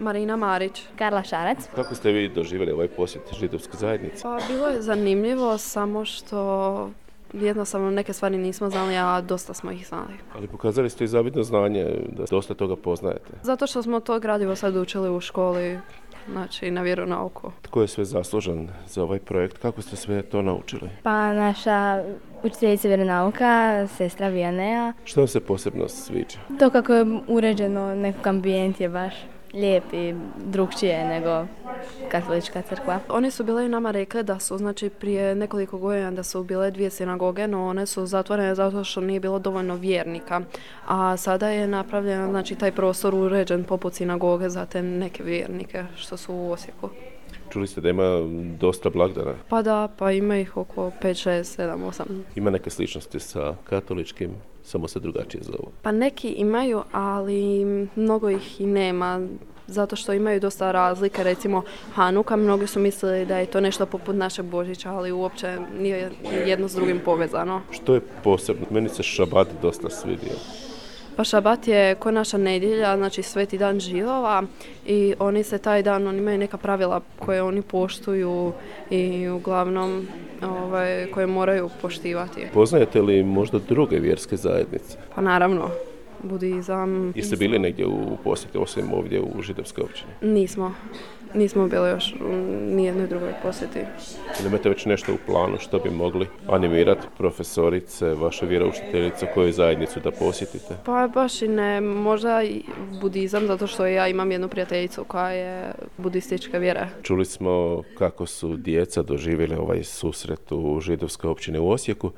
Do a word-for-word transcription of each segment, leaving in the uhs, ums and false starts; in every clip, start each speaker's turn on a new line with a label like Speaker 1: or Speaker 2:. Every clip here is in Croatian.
Speaker 1: Marina Marić.
Speaker 2: Karla Šarac.
Speaker 3: Kako ste vi doživjeli ovaj posjet židovske zajednice?
Speaker 1: Pa bilo je zanimljivo, samo što jednostavno neke stvari nismo znali, a dosta smo ih znali.
Speaker 3: Ali pokazali ste i zavidno znanje da dosta toga poznajete.
Speaker 1: Zato što smo to gradivo sad učili u školi, znači na vjeronauku.
Speaker 3: Tko je sve zaslužan za ovaj projekt? Kako ste sve to naučili?
Speaker 2: Pa naša učiteljica vjeronauka, sestra Vijanea.
Speaker 3: Što vam se posebno sviđa?
Speaker 2: To kako je uređeno, nekog ambijent je baš lijep i drukčije nego katolička crkva.
Speaker 1: Oni su bile i nama rekli da su, znači prije nekoliko godina da su bile dvije sinagoge, no one su zatvorene zato što nije bilo dovoljno vjernika. A sada je napravljen, znači taj prostor uređen poput sinagoge za te neke vjernike što su u Osijeku.
Speaker 3: Čuli ste da ima dosta blagdana?
Speaker 1: Pa da, pa ima ih oko pet, šest, sedam, osam.
Speaker 3: Ima neke sličnosti sa katoličkim, samo se drugačije zovu.
Speaker 1: Pa neki imaju, ali mnogo ih i nema, zato što imaju dosta razlike. Recimo Hanuka, mnogi su mislili da je to nešto poput našeg Božića, ali uopće nije jedno s drugim povezano.
Speaker 3: Što je posebno? Meni se šabat dosta svidio.
Speaker 1: Pa šabat je ko naša nedjelja, znači sveti dan židova i oni se taj dan, oni imaju neka pravila koje oni poštuju i uglavnom ovaj, koje moraju poštivati.
Speaker 3: Poznajete li možda druge vjerske zajednice?
Speaker 1: Pa naravno, budizam.
Speaker 3: Jeste bili negdje u posjeti osim ovdje u židovskoj općini?
Speaker 1: Nismo. Nismo bili još u nijednoj drugoj posjeti.
Speaker 3: Ili imate već nešto u planu što bi mogli animirati profesorice, vaše vjeroučiteljice, koju zajednicu da posjetite?
Speaker 1: Pa baš i ne, možda i budizam, zato što ja imam jednu prijateljicu koja je budističke vjere.
Speaker 3: Čuli smo kako su djeca doživjeli ovaj susret u židovskoj općini u Osijeku.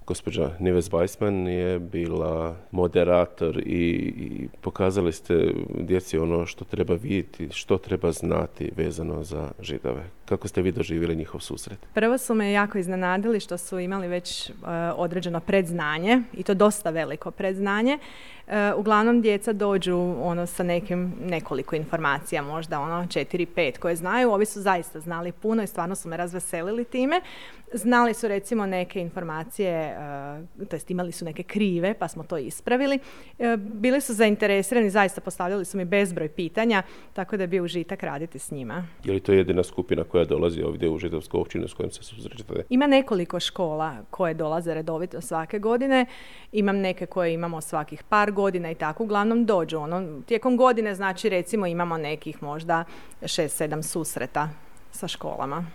Speaker 3: Gospođa Nives Weissman je bila moderator i, i pokazali ste djeci ono što treba vidjeti, što treba znati vezano za Židove. Kako ste vi doživjeli njihov susret?
Speaker 4: Prvo su me jako iznenadili što su imali već uh, određeno predznanje i to dosta veliko predznanje. Uh, uglavnom djeca dođu ono sa nekim nekoliko informacija, možda ono četiri, pet koje znaju. Ovi su zaista znali puno i stvarno su me razveselili time. Znali su recimo neke informacije, uh, to jest imali su neke krive pa smo to ispravili. Uh, bili su zainteresirani, zaista postavljali su mi bezbroj pitanja, tako da je bio užitak raditi s njima.
Speaker 3: Je li to jedina skupina koja dolazi ovdje u židovsku općinu s kojim se susrećete?
Speaker 4: Ima nekoliko škola koje dolaze redovito svake godine. Imam neke koje imamo svakih par godina i tako uglavnom dođu. Ono, tijekom godine znači recimo imamo nekih možda šest, sedam susreta sa školama.